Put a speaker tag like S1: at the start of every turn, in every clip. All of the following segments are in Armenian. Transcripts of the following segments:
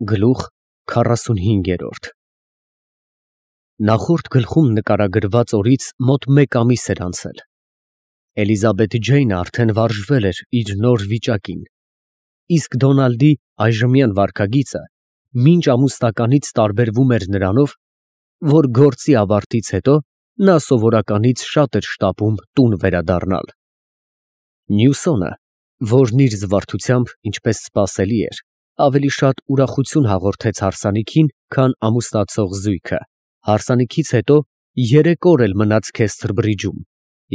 S1: Գլուխ 45 Նախորդ գլխում նկարագրված օրից մոտ 1 ամիս էր անցել։ Էլիզաբեթ Ջեյնը արդեն վարժվել էր իր նոր վիճակին, իսկ Դոնալդի այժմյան վարքագիծը մինչ ամուսնականից տարբերվում էր նրանով, որ գործի ավարտից հետո նա սովորականից շատ էր շտապում տուն վերադառնալ։ Նյուսոնը, որն իր զվարթությամբ, ինչպես սպասելի էր, ավելի շատ ուրախություն հաղորդեց հարսանիքին, քան ամուսնացող զույգը, հարսանիքից հետո 3 օր էլ մնաց Քեսթր Բրիջում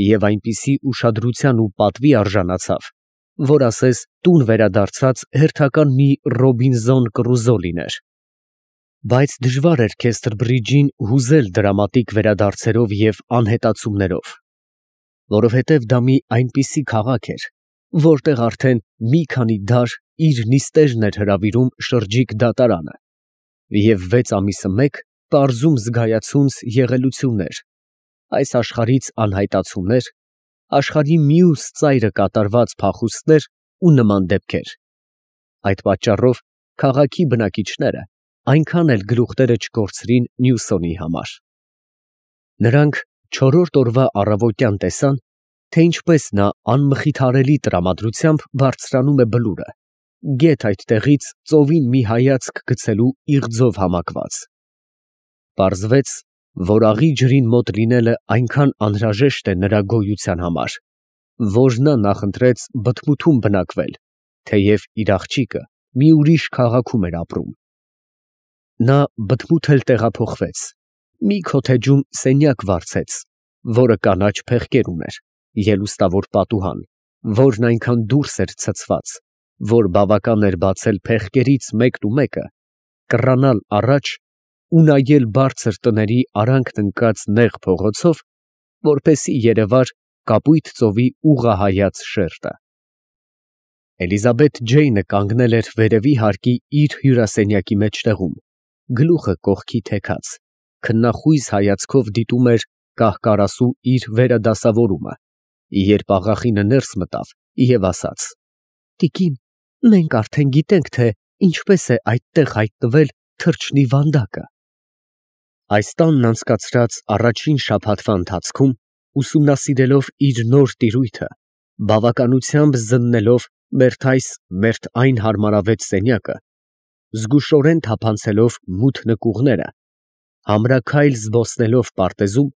S1: և այնպիսի ուշադրության ու պատվի արժանացավ, որ ասես տուն վերադարձած հերթական մի Ռոբինզոն Կրուզո լիներ։ Բայց դժվար էր Քեսթր Բրիջին հուզել դրամատիկ վերադարձերով և անհետացումներով, որովհետև դա մի այնպիսի քաղաք էր, որտեղ արդեն մի քանի դար իր նիստերն էր հրավիրում շրջիկ դատարանը, և 6 ամիսը մեկ պարզում զգայացունց եղելություններ, այս աշխարհից անհայտացումներ, աշխարհի մյուս ծայրը կատարված փախուստներ ու նման դեպքեր։ Այդ պատճառով քաղաքի բնակիչները այնքան էլ գլուխները չկորցրին Նյուսոնի համար։ Նրանք 4-րդ օրվա առավոտյան տեսան, թե ինչպես նա անմխիթարելի տրամադրությամբ բարձրանում է բլուրը, գեթ այդտեղից ծովին մի հայացք գցելու իղձով համակված։ Պարզվեց, որ աղի ջրին մոտ լինելը այնքան անհրաժեշտ է նրա գոյության համար, որ նա նախընտրեց բթմութում բնակվել, թեև իր աղջիկը մի ուրիշ քաղաքում էր ապրում։ Նա բթմութ էլ տեղափոխվեց, մի քոթեջում սենյակ վարձեց, որը կանաչ փեղկեր ուներ, ելուստավոր պատուհան, որն այնքան դուրս էր ցցված, որ բավական էր բացել փեղկերից մեկը, կռանալ առաջ ու նայել բարձր տների արանքն ընկած նեղ փողոցով, որպեսզի երևար կապույտ ծովի ուղղահայաց շերտը։ Էլիզաբեթ Ջեյնը կանգնել էր վերևի հարկի իր հյուրասենյակի մեջտեղում, գլուխը կողքի թեքած, քննախույզ հայացքով դիտում էր կահ֊կարասու իր վերադասավորումը, երբ աղախինը ներս մտավ և ասաց. «Տիկին, մենք արդեն գիտենք, թե ինչպես է այդտեղ հայտնվել թռչնի վանդակը»։ Այս տանն անցկացրած առաջին շաբաթվա ընթացքում, ուսումնասիրելով իր նոր տիրույթը, բավականությամբ զննելով մերթ այս, մերթ այն հարմարավետ սենյակը, զգուշորեն թափանցելով մութ նկուղները, համրաքայլ զբոսնելով պարտեզում,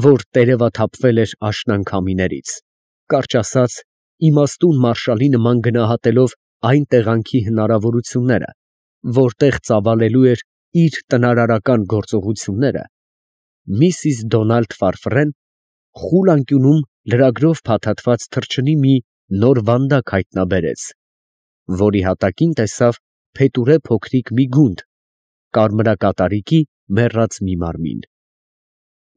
S1: որ տերևաթափվել էր աշնան քամիներից, կարճ ասած, իմաստուն մարշալի նման գնահատելով այն տեղանքի հնարավորությունները, որտեղ ծավալելու էր իր տնարարական գործողությունները, միսիս Դոնալդ Ֆարֆրեն խուլ անկյունում լրագրով փաթաթված թռչնի մի նոր վանդակ հայտնաբերեց, որի հատակին տեսավ փետուրե փոքրիկ մի գունդ, կարմրակատարիկի մեռած մի մարմին։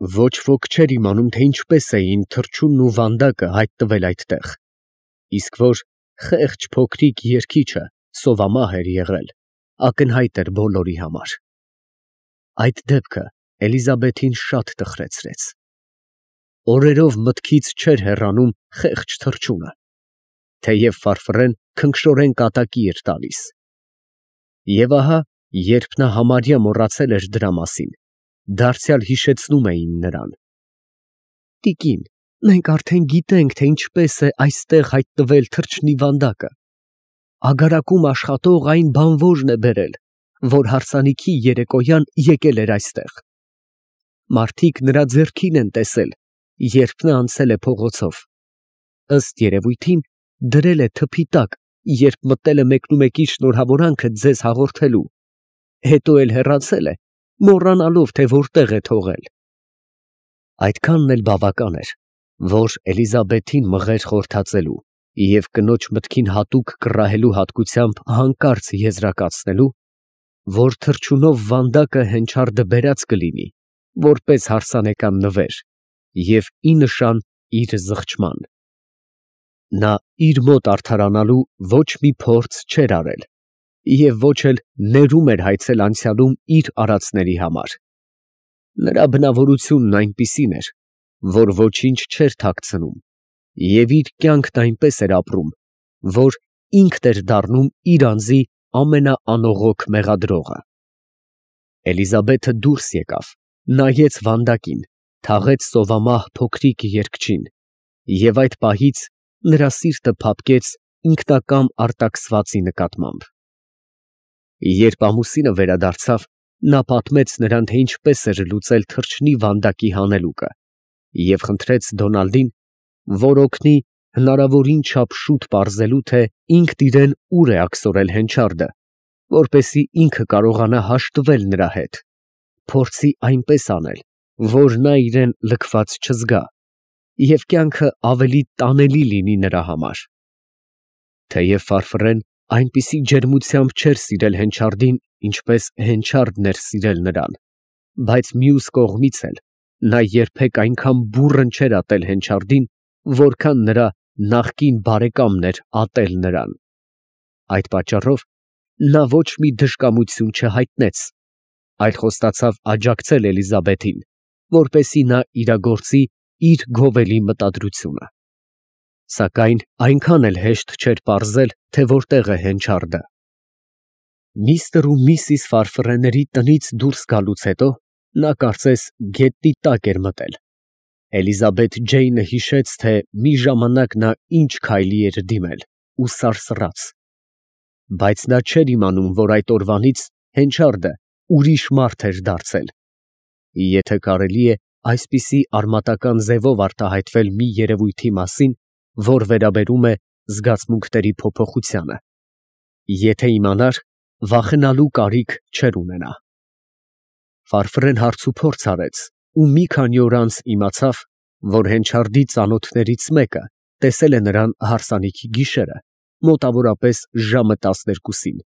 S1: Ոչ ոք չէր իմանում, թե ինչպես էին թռչունն ու վանդակը հայտնվել այդտեղ, իսկ որ խեղճ փոքրիկ երգիչը սովամահ էր եղել, ակնհայտ էր բոլորի համար։ Այդ դեպքը Էլիզաբեթին շատ տխրեցրեց։ Օրերով մտքից չէր հեռանում խեղճ թռչունը, թեև Ֆարֆրեն քնքշորեն կատակի էր տալիս։ Եվ ահա, երբ նա համարյա մոռացել էր դրա մասին, դարձյալ հիշեցնում էին նրան. «Տիկին, մենք արդեն գիտենք, թե ինչպես է այստեղ հայտնվել թռչնի վանդակը։ Ագարակում աշխատող այն բանվորն է բերել, որ հարսանիքի երեկոյան եկել էր այստեղ։ Մարդիկ նրա ձեռքին են տեսել, երբ նա անցել է փողոցով։ Ըստ երևույթին, դրել է թփի տակ, երբ մտել է մեկնումեկի շնորհավորանքը ձեզ հաղորդելու, հետո էլ հեռացել է, մոռանալով, թե որտեղ է թողել»։ Այդքանն էլ բավական էր, որ Էլիզաբեթին մղեր խորհրդածելու և կնոջ մտքին հատուկ կռահելու հատկությամբ հանկարծ եզրակացնելու, որ թռչունով վանդակը հենչարդը բերած կլինի, որպես հարսանեկան նվեր և ի նշան իր զղջման։ Նա իր մոտ արդարանալու ոչ մի փորձ չէր արել և ոչ էլ ներում էր հայցել անցյալում իր արածների համար։ Նրա բնավորությունն այնպիսին էր, որ ոչինչ չէր թաքցնում և իր կյանքն այնպես էր ապրում, որ ինքն էր դառնում իր անձի ամենաանողոք մեղադրողը։ Էլիզաբեթը դուրս եկավ, նայեց վանդակին, թաղեց սովամահ փոքրիկ երգչին, և այդ պահից նրա սիրտը փափկեց ինքնակամ արտաքսվածի նկատմամբ։ Երբ ամուսինը վերադարձավ, նա պատմեց նրան, թե ինչպես էր լուծել թռչնի վանդակի հանելուկը, և խնդրեց Դոնալդին, որ օգնի հնարավորին չափ շուտ պարզելու, թե ինքն իրեն ուր է աքսորել հենչարդը, որպեսզի ինքը կարողանա հաշտվել նրա հետ, փորձի այնպես անել, որ նա իրեն լքված չզգա, և կյանքը ավելի տանելի լինի նրա համար։ Թեև Ֆարֆռեն այնպիսի ջերմությամբ չէր սիրել հենչարդին, ինչպես հենչարդն էր սիրել նրան, բայց մյուս կողմից էլ նա երբեք այնքան բուռն չէր ատել հենչարդին, որքան նրա նախկին բարեկամն էր ատել նրան։ Այդ պատճառով նա ոչ մի դժկամություն չհայտնեց, այլ խոստացավ աջակցել Էլիզաբեթին, որպեսզի նա իրագործի իր գովելի մտադրությունը։ Սակայն այնքան էլ հեշտ չէր պարզել, թե որտեղ է հենչարդը։ Միստր ու Միսիս Ֆարֆռեների տնից դուրս գալուց հետո նա կարծես գետնի տակ էր մտել։ Էլիզաբեթ Ջեյնը հիշեց, թե մի ժամանակ նա ինչ քայլի էր դիմել ու սարսռաց, բայց նա չէր իմանում, որ այդ օրվանից հենչարդը ուրիշ մարդ էր դարձել, եթե կարելի է այսպիսի արմատական ձևով արտահայտվել մի երևույթի մասին, որ վերաբերում է զգացմունքների փոփոխությանը։ Եթե իմանար, վախենալու կարիք չէր ունենա։ Ֆարֆռեն հարցուփորձ արեց ու մի քանի օր անց իմացավ, որ հենչարդի ծանոթներից մեկը տեսել է նրան հարսանիքի գիշերը, մոտավորապես ժամը 12-ին,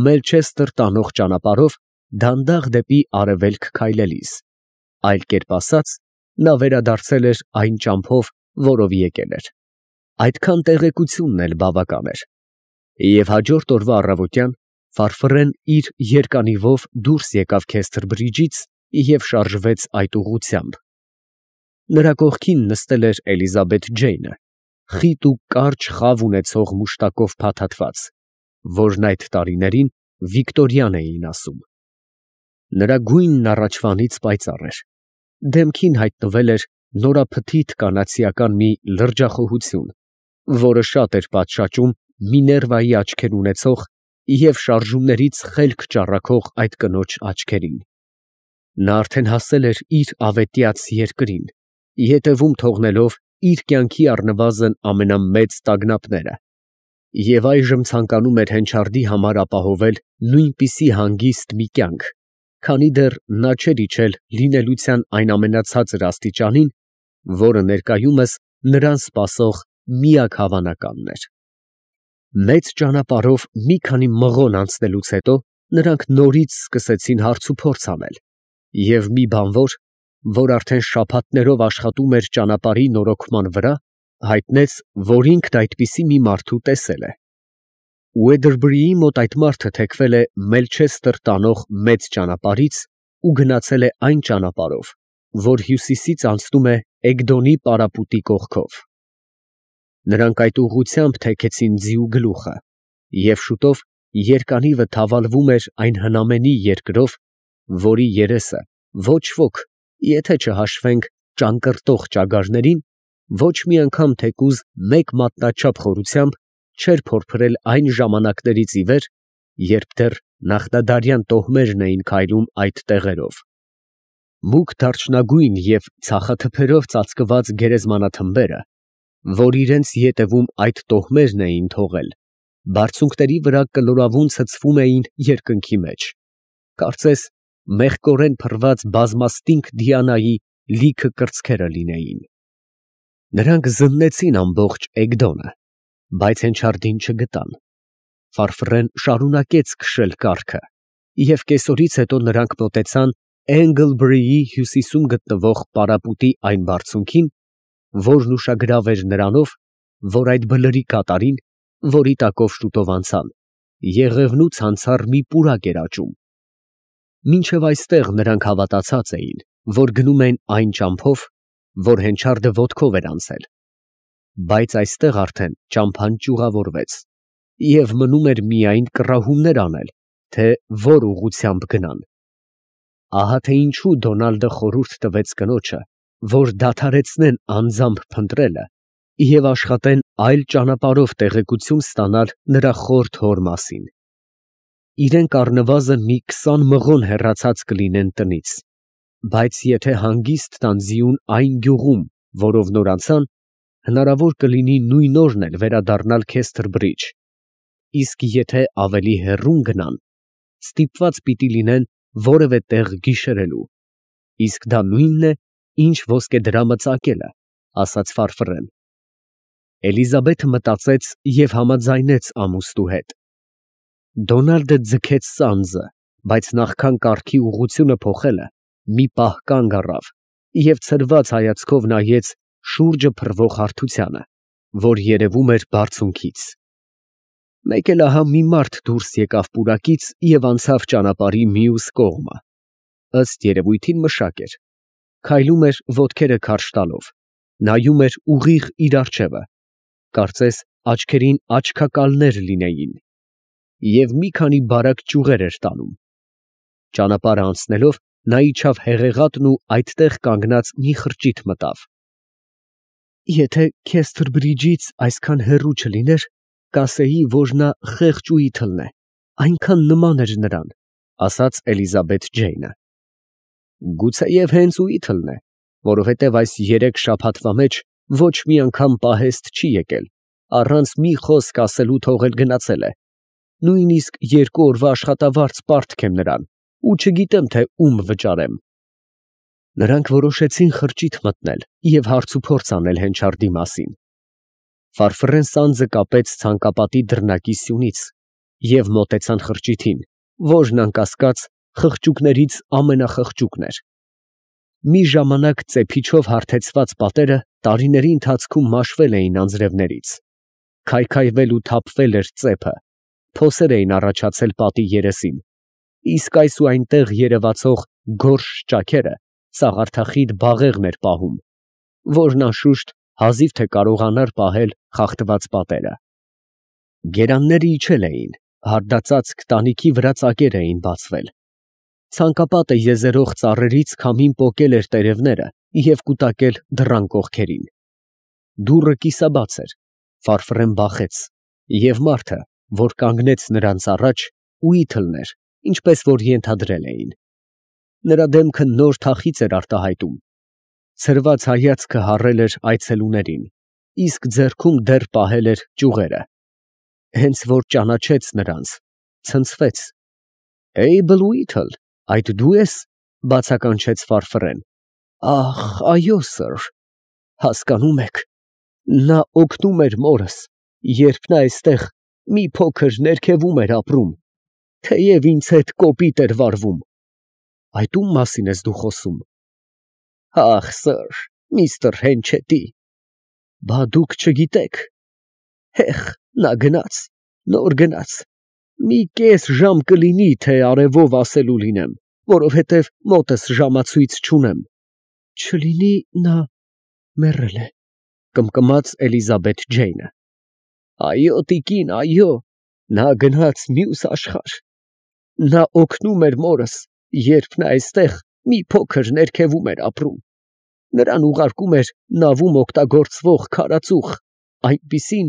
S1: Մելչեսթեր տանող ճանապարհով դանդաղ դեպի արևելք քայլելիս, այլ կերպ ասած, նա վերադարձել էր այն ճամփով, որով եկել էր։ Այդքան տեղեկությունն էլ բավական էր։ Եվ հաջորդ օրվա առավոտյան Ֆարֆռեն իր երկանիվով դուրս եկավ Քեսթր բրիջից և շարժվեց այդ ուղղությամբ։ Նրա կողքին նստել էր Էլիզաբեթ Ջեյնը, խիտ ու կարճ խավ ունեցող մուշտակով փաթաթված, որն այդ տարիներին Վիկտորյան էին ասում։ Նրա գույնն առաջվանից պայծառ էր, դեմքին հայտնվել էր նորափթիթ կանացիական մի լրջախոհություն, որը շատ էր պատշաճում Միներվայի աչքեր ունեցող և շարժումներից խելք ճառագող այդ կնոջ աչքերին։ Նա արդեն հասել էր իր ավետյաց երկրին, ետևում թողնելով իր կյանքի առնվազն ամենամեծ տագնապները, և այժմ ցանկանում էր հենչարդի համար ապահովել նույնպիսի հանգիստ մի կյանք, քանի դեռ նա չէր իջել լինելության այն ամենացածր աստիճանին, որը ներկայումս նրան սպասող միակ հավանականն էր։ Մեծ ճանապարհով մի քանի մղոն անցնելուց հետո նրանք նորից սկսեցին հարցուփորձ անել, և մի բանվոր, որ արդեն շաբաթներով աշխատում էր ճանապարհի նորոգման վրա, հայտնեց, որ ինքն այդպիսի մի մարդու տեսել է։ Ուեդերբրիի մոտ այդ մարդը թեքվել է Մելչեսթեր տանող մեծ ճանապարհից ու գնացել է այն ճանապարհով, որ հյուսիսից անցնում է Էգդոնի պարապուտի կողքով։ Նրանք այդ ուղղությամբ թեքեցին ձիու գլուխը, և շուտով երկանիվը թավալվում էր այն հնամենի երկրով, որի երեսը ոչ ոք, եթե չհաշվենք ճանկռտող ճագարներին, ոչ մի անգամ թեկուզ մեկ մատնաչափ խորությամբ չէր փորփրել այն ժամանակներից ի վեր, երբ դեռ նախնադարյան տոհմերն էին քայլում այդ տեղերով։ Մուգ դարչնագույն և ցախաթփերով ծածկված գերեզմանաթմբերը, որ իրենց ետևում այդ տոհմերն էին թողել, բարձունքների վրա կլորավուն ցցվում էին երկնքի մեջ, կարծես մեղկորեն փռված բազմաստինք Դիանայի լիքը կրծքերը լինեին։ Նրանք զննեցին ամբողջ Էգդոնը, բայց հենչարդին չգտան։ Ֆարֆռեն շարունակեց քշել կառքը, և կեսօրից հետո նրանք մոտեցան Էնգլբրիի հյուսիսում գտնվող պարապուտի այն բարձունքին, որն ուշագրավ էր նրանով, որ այդ բլրի կատարին, որի տակով շուտով անցան, եղևնու ցանցառ մի պուրակ էր աճում։ Մինչև այստեղ նրանք հավատացած էին, որ գնում են այն ճամփով, որ հենչարդը ոտքով էր անցել, բայց այստեղ արդեն ճամփան ճյուղավորվեց, և մնում էր միայն կռահումներ անել, թե որ ուղղությամբ գնան։ Ահա թե ինչու Դոնալդը խորհուրդ տվեց կնոջը, որ դադարեցնեն անձամբ փնտրելը և աշխատեն այլ ճանապարհով տեղեկություն ստանալ նրա խորթ հոր մասին։ Իրենք առնվազն մի 20 մղոն հեռացած կլինեն տնից, բայց եթե հանգիստ տան ձիուն այն գյուղում, որով նոր անցան, հնարավոր կլինի նույն օրն էլ վերադառնալ Քեսթր-Բրիջ, իսկ եթե ավելի հեռուն գնան, ստիպված պիտի լինեն որևէ տեղ գիշերելու, իսկ դա նույնն է, ինչ ոսկեդրամը ծակելը, ասաց Ֆարֆռեն։ Էլիզաբեթը մտածեց և համաձայնեց ամուսնու հետ։ Դոնալդը ձգեց սանձը, բայց նախքան կառքի ուղղությունը փոխելը, մի պահ կանգ առավ և ցրված հայացքով նայեց շուրջը փռվող հարթությանը, որ երևում էր բարձունքից։ Մեկ էլ ահա մի մարդ դուրս եկավ պուրակից և անցավ ճանապարհի մյուս կողմը, ըստ երևույթին մշակ էր, քայլում էր ոտքերը քարշ տալով, նայում էր ուղիղ իր առջևը, կարծես աչքերին աչքակալներ լինեին, և մի քանի բարակ ճյուղեր էր տանում։ Ճանապարհը անցնելով նա իջավ հեղեղատն ու այդտեղ կանգնած մի խրճիթ մտավ։ Եթե Քեսթր-Բրիջից այսքան հեռու չլիներ, կասեի, որ նա խեղճ ու իթլն է, այնքան նման էր նրան, ասաց Էլիզաբեթ Ջեյնը։ Գուցեև հենց իթլն է, որովհետև այս 3 շաբաթվա մեջ ոչ մի անգամ պահեստ չի եկել, առանց մի խոսք ասելու թողել գնացել է, նույնիսկ 2 օրվա աշխատավարձ պարտք եմ նրան ու չգիտեմ, թե ում վճարեմ։ Նրանք որոշեցին խրճիթ մտնել և հարցուփորձ անել հենչարդի մասին։ Ֆարֆռեն սանձը կապեց ցանկապատի դռնակի սյունից և մոտեցան խրճիթին, որն անկասկած խղճուկներից ամենախղճուկն էր։ Մի ժամանակ ծեփիչով հարթեցված պատերը տարիների ընթացքում մաշվել էին անձրևներից, քայքայվել ու թափվել էր ծեփը, փոսեր էին առաջացել պատի երեսին, իսկ այս ու այնտեղ երևացող գորշ ճաքերը սաղարթախիտ բաղեղն էր պահում, որն անշուշտ հազիվ թե կարողանար պահել խախտված պատերը։ Գերանները իջել էին, հարդածածկ տանիքի վրա ծակեր էին բացվել։ Ցանկապատը եզերող ծառերից քամին պոկել էր տերևները և կուտակել դռան կողքերին։ Դուռը կիսաբաց էր, Ֆարֆռեն բախեց, և մարդը, որ կանգնեց նրանց առաջ, իթլն էր, ինչպես որ ենթադրել էին։ Նրա դեմքը նոր թախիծ էր արտահայտում, ցրված հայացքը հառել էր այցելուներին, իսկ ձեռքում դեռ պահել էր ճյուղերը։ Հենց որ ճանաչեց նրանց, ցնցվեց։ «Էյբլ Ուիթլ, այդ դու ես», բացականչեց Ֆարֆռեն։ Ահ, այո, սըր, հասկանում եք, նա օգնում էր մորս, երբ նա այստեղ մի փոքր ներքևում էր ապրում, թեև ինձ հետ կոպիտ էր վարվում։ Այդ ո՞ւմ մասին ես դու խոսում։ Ախ, սըր, միստր Հենչետի, բա դուք չգիտեք։ Հեխ, նա գնաց, նոր գնաց, մի կես ժամ կլինի, թե արևով ասելու լինեմ, որովհետև մոտս ժամացույց չունեմ։ Չլինի նա մեռել է, կմկմաց Էլիզաբեթ Ջեյնը։ Այո, տիկին, այո, նա գնաց մյուս աշխարհ։ Նա օգնում էր մորս, երբ նա այստեղ մի փոքր ներքևում էր ապրում։ Նրան ուղարկում էր նավում օգտագործվող քարածուխ, այնպիսին,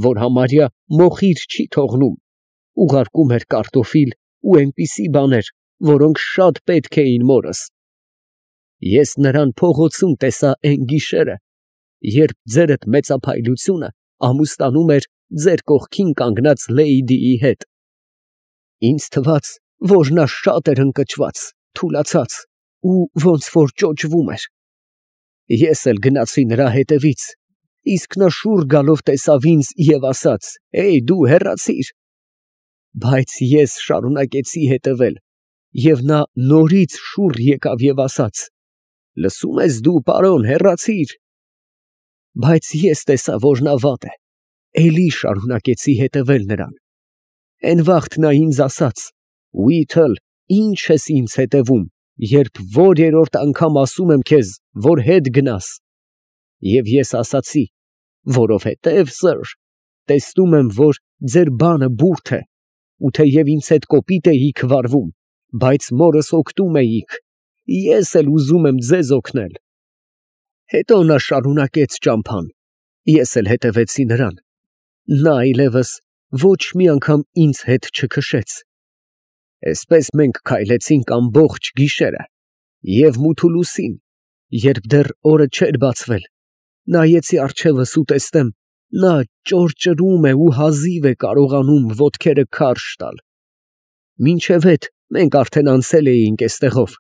S1: որ համարյա մոխիր չի թողնում, ուղարկում էր կարտոֆիլ ու այնպիսի բաներ, որոնք շատ պետք էին մորս։ Ես նրան փողոցում տեսա էն գիշերը, երբ ձերդ մեծափայլությունը ամուսնանում էր ձեր կողքին կանգնած լեյդիի հետ։ Ինձ թվաց, որ նա շատ էր ընկճված, թուլացած ու ոնց որ ճոճվում էր։ Ես էլ գնացի նրա հետևից, իսկ նա շուռ գալով տեսավ ինձ և ասաց. «Էյ, դու հեռացիր»։ Բայց ես շարունակեցի հետևել, և նա նորից շուռ եկավ և ասաց. «Լսում ես դու, պարոն, հեռացիր»։ Բայց ես տեսա, որ նա վատ է, էլի շարունակեցի հետևել նրան։ Էն վաղտ նա ինձ ասաց. «Ուիթլ, ի՞նչ ես ինձ հետևում, երբ որ երրորդ անգամ ասում եմ քեզ, որ հետ գնաս»։ Եվ ես ասացի. «Որովհետև, սըր, տեսնում եմ, որ ձեր բանը բուրդ է, ու թեև ինձ հետ կոպիտ էիք վարվում, բայց մորս օգնում էիք, ես էլ ուզում եմ ձեզ օգնել։ Հետո նա շարունակեց ճամփան, ես էլ հետևեցի նրան, նա այլևս ոչ մի անգամ ինձ հետ չքշեց։ Այսպես մենք քայլեցինք ամբողջ գիշերը և մութ ու լուսին, երբ դեռ օրը չէր բացվել, նայեցի առջևս ու տեսնեմ, նա ճոռճռում է ու հազիվ է կարողանում ոտքերը քարշ տալ։ Մինչև հետ մենք արդեն անցել էինք այստեղով,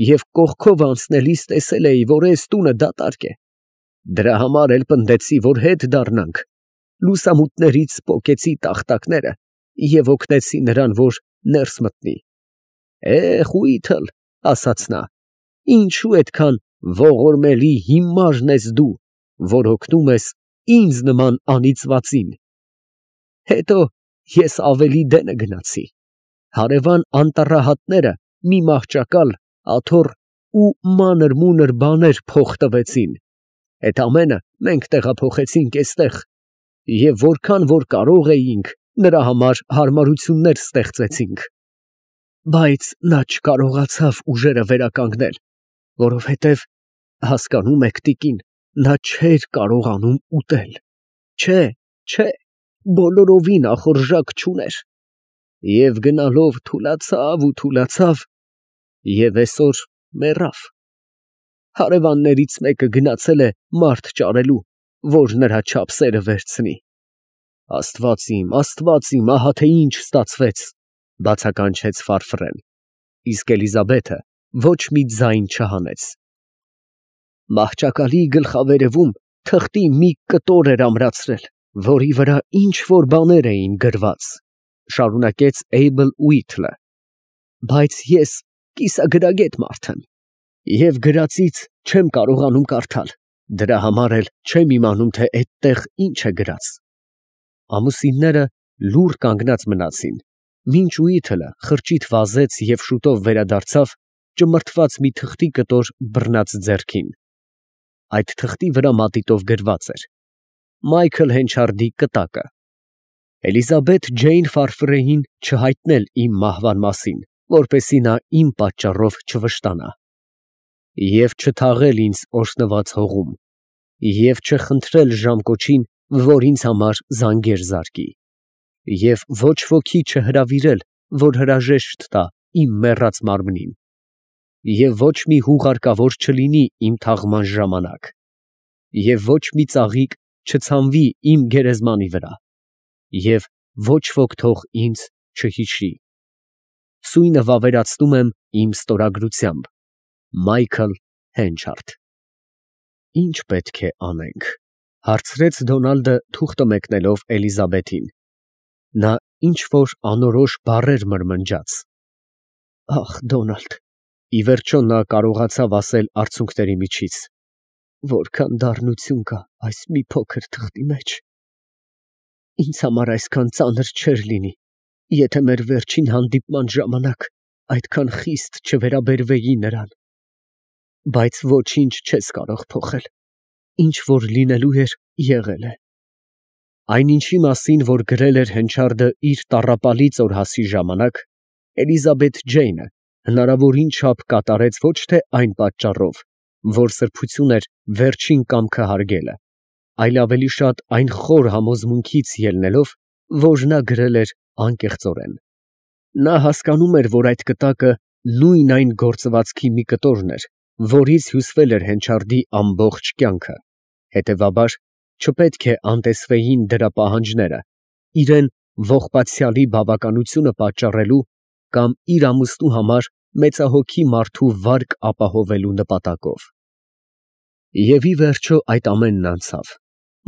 S1: և կողքով անցնելիս տեսել էի, որ այս տունը դատարկ է։ Դրա համար էլ պնդեցի, որ հետ դառնանք, լուսամուտներից պոկեցի տախտակները և օգնեցի նրան, որ ներս մտնի։ Խույթլ, ասաց նա, ինչու այդքան ողորմելի հիմարն ես դու, որ օգնում ես ինձ նման անիծվածին։ Հետո ես ավելի դենը գնացի, հարևան անտառահատները մի մահճակալ, աթոռ ու մանր֊մունր բաներ փոխ տվեցին, այդ ամենը մենք տեղափոխեցինք այստեղ և որքան որ կարող էինք, նրա համար հարմարություններ ստեղծեցինք։ Բայց նա չկարողացավ ուժերը վերականգնել, որովհետև, հասկանում եք, տիկին, նա չէր կարողանում ուտել, չէ, բոլորովին ախորժակ չուներ, և գնալով թուլացավ ու թուլացավ, և այսօր մեռավ։ Հարևաններից մեկը գնացել է մարդ ճարելու, որ նրա չափսերը վերցնի։ Աստված իմ, ահա թե ինչ ստացվեց, բացականչեց Ֆարֆրեն, իսկ Էլիզաբեթը ոչ մի ձայն չհանեց։ Մահճակալի գլխավերևում թղթի մի կտոր էր ամրացրել, որի վրա ինչ֊որ բաներ էին գրված, շարունակեց Էյբլ Ուիթլը, բայց ես կիսագրագետ մարդ եմ, և գրածից չեմ կարողանում կարդալ, դրա համար էլ չեմ իմանում, թե այդտեղ ինչ է գրած։ Ամուսինները լուռ կանգնած մնացին, մինչ Ուիթլը խրճիթ վազեց և շուտով վերադարձավ ճմրթված մի թղթի կտոր բռնած ձեռքին։ Այդ թղթի վրա մատիտով գրված էր. Մայքլ Հենչարդի կտակը։ Էլիզաբեթ Ջեյն Ֆարֆրեին չհայտնել իմ մահվան մասին, որպեսզի նա իմ պատճառով չվշտանա, և չթաղել ինձ օրհնված հողում, և չխնդրել ժամկոչին, որ ինձ համար զանգեր զարկի, և ոչ ոքի չհրավիրել, որ հրաժեշտ տա իմ մեռած մարմնին, և ոչ մի հուղարկավոր չլինի իմ թաղման ժամանակ, և ոչ մի ծաղիկ չցանվի իմ գերեզմանի վրա, և ոչ ոք թող ինձ չհիշի։ Սույնը վավերացնում եմ իմ ստորագրությամբ, Մայքլ Հենչարդ։ Ի՞նչ պետք է անենք, հարցրեց Դոնալդը թուղթը մեկնելով Էլիզաբեթին։ Նա ինչ֊որ անորոշ բառեր մրմնջաց։ Ախ, Դոնալդ, ի վերջո նա կարողացավ ասել արցունքների միջից. որքան դառնություն կա այս մի փոքր թղթի մեջ։ Ինձ համար այսքան ծանր չէր լինի, եթե մեր վերջին հանդիպման ժամանակ այդքան խիստ չվերաբերվեի նրան, բայց ոչինչ չես կարող փոխել, ինչ որ լինելու էր, եղել է։ Այնինչի մասին, որ գրել էր Հենչարդը իր տառապալից օրհասի ժամանակ, Էլիզաբեթ Ջեյնը հնարավորին չափ կատարեց ոչ թե այն պատճառով, որ սրբություն էր վերջին կամքը հարգելը, այլ ավելի շատ այն խոր համոզմունքից ելնելով, որ նա գրել էր անկեղծորեն։ Նա հասկանում էր, որ այդ կտակը նույն այն գործվածքի մի կտորն էր, որից հյուսվել էր Հենչարդի ամբողջ կյանքը, հետևաբար չպետք է անտեսվեին դրա պահանջները իրան ողբացյալի բավականությունը պատճառելու կամ իր ամուսնու համար մեծահոգի մարդու վարկ ապահովելու նպատակով։ Եվ ի վերջո այդ ամենն անցավ,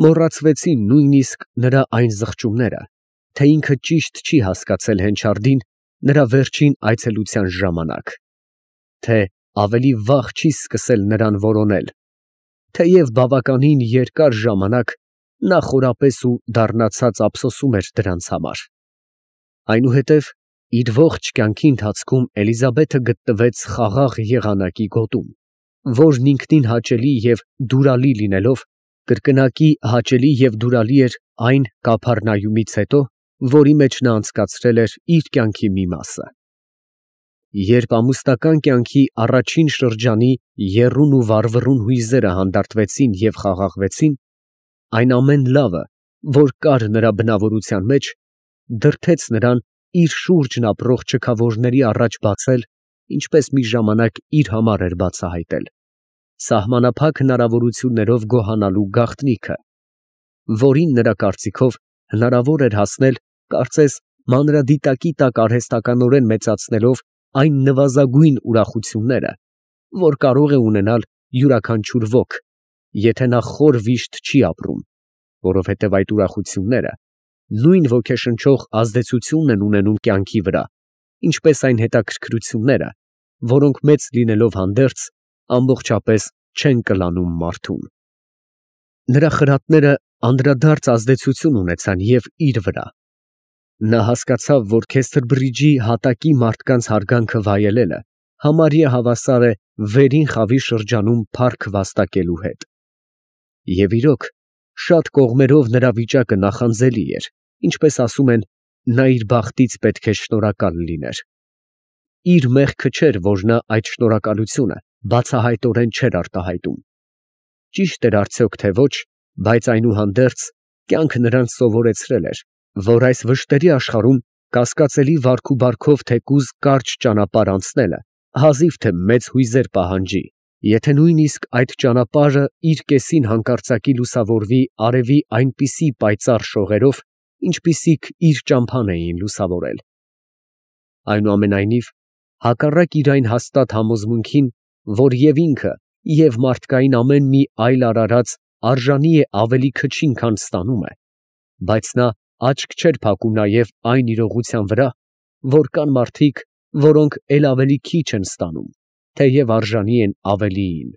S1: մոռացվեցին նույնիսկ նրա այն զղջումները, թե ինքը ճիշտ չի հասկացել Հենչարդին նրա վերջին այցելության ժամանակ, թե ավելի վաղ չի սկսել նրան որոնել, թեև բավականին երկար ժամանակ նա խորապես ու դառնացած ափսոսում էր դրանց համար։ Այնուհետև իր ողջ կյանքի ընթացքում Էլիզաբեթը գտնվեց խաղաղ եղանակի գոտում, որն ինքնին հաճելի և դուրալի լինելով, կրկնակի հաճելի և դուրալի էր այն Կափառնայումից հետո, որի մեջ նա անցկացրել էր իր կյանքի մի մասը։ Երբ ամուսնական կյանքի առաջին շրջանի եռուն ու վառվռուն հույզերը հանդարտվեցին և խաղաղվեցին, այն ամեն լավը, որ կար նրա բնավորության մեջ, դրդեց նրան իր շուրջն ապրող չքավորների առաջ բացել, ինչպես մի ժամանակ իր համար էր բացահայտել, սահմանափակ հնարավորություններով գոհանալու գաղտնիքը, որին նրա կարծիքով հնարավոր էր հասնել, կարծես մանրադիտակի տակ արհեստականորեն մեծացնելով այն նվազագույն ուրախությունները, որ կարող է ունենալ յուրաքանչյուր ոք, եթե նա խոր վիշտ չի ապրում, որովհետև այդ ուրախությունները նույն ոգեշնչող ազդեցությունն են ունենում կյանքի վրա, ինչպես այն հետաքրքրությունները, որոնք մեծ լինելով հանդերձ, ամբողջապես չեն կլանում մարդուն։ Նրա խրատները անդրադարձ ազդեցություն ունեցան և իր վրա։ Նա հասկացավ, որ Քեսթրբրիջի հատակի մարդկանց հարգանքը վայելելը համարյա հավասար է վերին խավի շրջանում փառք վաստակելու հետ։ Եվ իրոք, շատ կողմերով նրա վիճակը նախանձելի էր, ինչպես ասում են, նա իր բախտից պետք է շնորհակալ լիներ։ Իր մեղքը չէր, որ նա այդ շնորհակալությունը բացահայտորեն չէր արտահայտում։ Ճիշտ էր արդյոք, թե ոչ, բայց այնուհանդերձ կյանքը նրան սովորեցրել էր, որ այս վշտերի աշխարհում կասկածելի վարք ու բարքով թեկուզ կարճ ճանապարհ անցնելը հազիվ թե մեծ հույզեր պահանջի, եթե նույնիսկ այդ ճանապարհը իր կեսին հանկարծակի լուսավորվի արևի այնպիսի պայծառ շողերով, ինչպիսիք իր ճամփան էին լուսավորել։ Այնուամենայնիվ, հակառակ իր այն հաստատ համոզմունքին, որ և ինքը, և մարդկային ամեն մի այլ արարած արժանի է ավելի քչին, քան ստանում է, բայց նա աչք չէր փակում նաև այն իրողության վրա, որ կան մարդիկ, որոնք էլ ավելի քիչ են ստանում, թեև արժանի են ավելիին։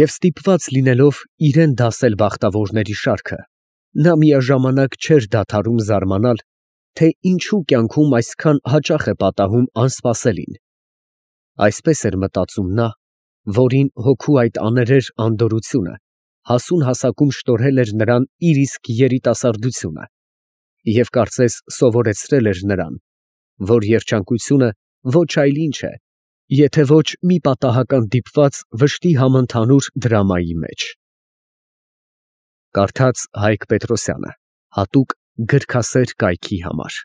S1: Եվ ստիպված լինելով իրան դասել բախտավորների շարքը, նա միաժամանակ չէր դադարում զարմանալ, թե ինչու կյանքում այսքան հաճախ է պատահում անսպասելին։ Այսպես էր մտածում նա, որին հոգու այդ աներեր անդորրությունը հասուն հասակում շտորել էր նրան իր իսկ երիտասարդությունը և կարծես սովորեցրել էր նրան, որ երջանկությունը ոչ այլ ինչ է, եթե ոչ մի պատահական դիպված վշտի համընդհանուր դրամայի մեջ։ Կարդաց Հայկ Պետրոսյանը, հատուկ գրքասեր կայքի համար։